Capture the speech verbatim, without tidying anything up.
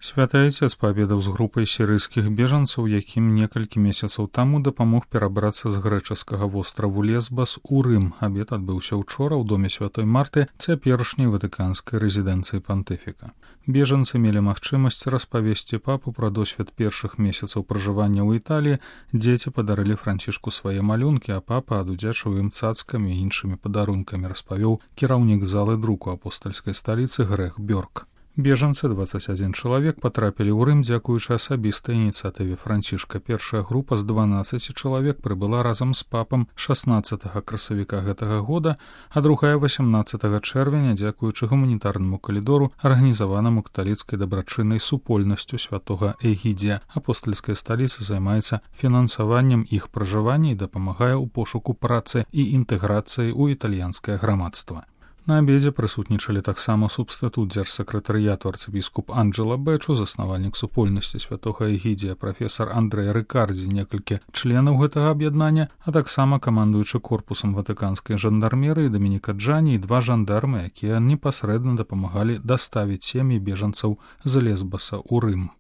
Святы Айцец паабедаў з групай сірыйскіх бежанцаў, якім некалькі месяцаў таму дапамог перабрацца з грэчаскага востраву Лесбас у Рым. Абед адбыўся ўчора ў доме святой Марты, цяперашняй ватыканскай рэзідэнцыі пантыфіка. Бежанцы мелі магчымасць распавесці папу пра досвед першых месяцаў пражывання ў Італіі, дзеці падарылі Францішку свае малюнкі, а папа адудзячыў ім цацкамі і іншымі падарункамі, распавёў кіраўнік залы друку апостальскай сталіцы Грэх Бёрк. Бежанцы, дваццаць адзін чалавек, патрапілі ў Рым дзякуючы асабістай ініцыятыве Францішка. Першая група з дванаццаці чалавек прыбыла разам з папам шаснаццатага красавіка гэтага года, а другая васямнаццатага чэрвеня дзякуючы гуманітарнаму калідору, арганізаванаму каталіцкай дабрачыннай супольнасцю святога Эгідзія. Апостальская сталіца займаецца фінансаваннем іх пражывання і дапамагае ў пошуку працы і інтэграцыі ў італьянскае грамадства. На абедзе прысутнічалі таксама субстытут дзяржсакратарыяту арцыбіскуп Анджела Бэчу, заснавальнік супольнасці святога Эгідзія, прафесар Андрэй Рыкардзі, некалькі членаў гэтага аб'яднання, а таксама камандуючы корпусам ватыканскай жандармерыі Дамініка Джані і два жандармы, якія непасрэдна дапамагалі даставіць сем'і бежанцаў з Лесбаса ў Рым.